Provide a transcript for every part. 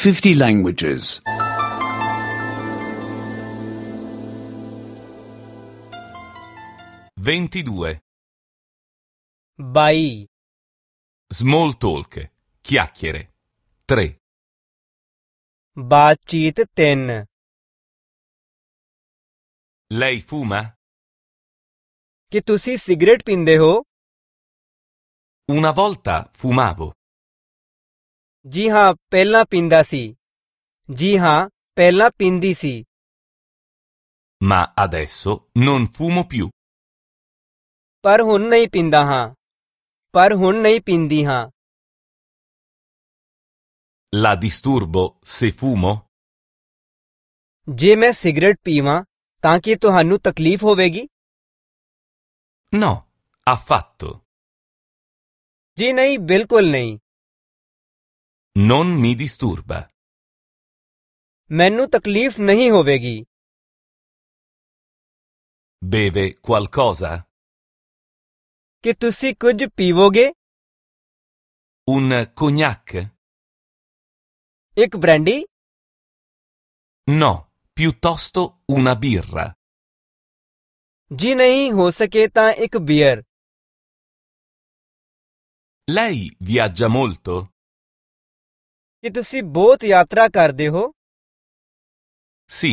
50 languages. 22. 22. Small talk. Chiacchiere. 3. बातचीत 3. Lei fuma? ਕੀ ਤੁਸੀਂ cigarette ਪੀਂਦੇ ਹੋ? Una volta fumavo. ਜੀ ਹਾਂ, ਪਹਿਲਾਂ ਪੀਂਦਾ ਸੀ। ਜੀ ਹਾਂ, ਪਹਿਲਾਂ ਪੀਂਦੀ ਸੀ। Ma adesso non fumo più. ਪਰ ਹੁਣ ਨਹੀਂ ਪੀਂਦਾ ਹਾਂ। ਪਰ ਹੁਣ ਨਹੀਂ ਪੀਂਦੀ ਹਾਂ। La disturbo se fumo? ਜੇ ਮੈਂ ਸਿਗਰਟ ਪੀਵਾਂ ਤਾਂ ਕੀ ਤੁਹਾਨੂੰ ਤਕਲੀਫ ਹੋਵੇਗੀ? No, affatto. ਜੀ ਨਹੀਂ, ਬਿਲਕੁਲ ਨਹੀਂ। Non mi disturba. ਮੈਨੂੰ ਤਕਲੀਫ ਨਹੀਂ ਹੋਵੇਗੀ। Beve qualcosa? ਕੀ ਤੁਸੀਂ ਕੁਝ ਪੀਵੋਗੇ? Un cognac? ਇੱਕ ਬ੍ਰਾਂਡੀ? No, piuttosto una birra. ਜੀ ਨਹੀਂ, ਹੋ ਸਕੇ ਤਾਂ ਇੱਕ ਬੀਅਰ। Lei viaggia molto? ਕੀ ਤੁਸੀਂ ਬਹੁਤ ਯਾਤਰਾ ਕਰਦੇ ਹੋ? Sì,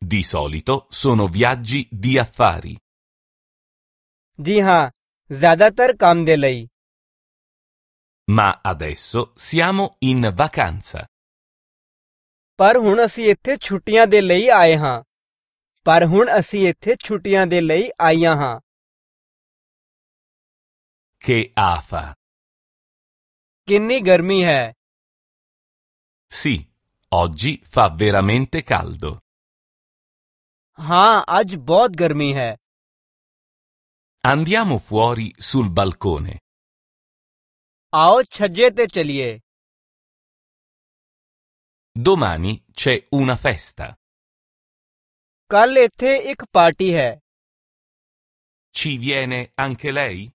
di solito sono viaggi di affari. ਜੀ ਹਾਂ, ਜ਼ਿਆਦਾਤਰ ਕੰਮ ਦੇ ਲਈ। Ma adesso siamo in vacanza. ਪਰ ਹੁਣ ਅਸੀਂ ਇੱਥੇ ਛੁੱਟੀਆਂ ਦੇ ਲਈ ਆਏ ਹਾਂ। ਪਰ ਹੁਣ ਅਸੀਂ ਇੱਥੇ ਛੁੱਟੀਆਂ ਦੇ ਲਈ ਆਈਆਂ ਹਾਂ। Che afa! ਕਿੰਨੀ ਗਰਮੀ ਹੈ! Sì, oggi fa veramente caldo. ਹਾਂ, ਅੱਜ ਬਹੁਤ ਗਰਮੀ ਹੈ। Andiamo fuori sul balcone. ਆਓ ਛੱਜੇ ਤੇ ਚਲੀਏ। Domani c'è una festa. ਕੱਲ ਇੱਥੇ ਇੱਕ ਪਾਰਟੀ ਹੈ। Ci viene anche lei?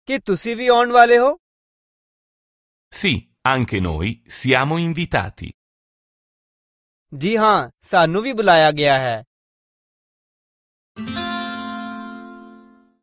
ਕੀ ਤੁਸੀਂ ਵੀ ਆਉਣ ਵਾਲੇ ਹੋ? Sì, anche noi siamo invitati. ਜੀ ਹਾਂ, ਸਾਨੂੰ ਵੀ ਬੁਲਾਇਆ ਗਿਆ ਹੈ।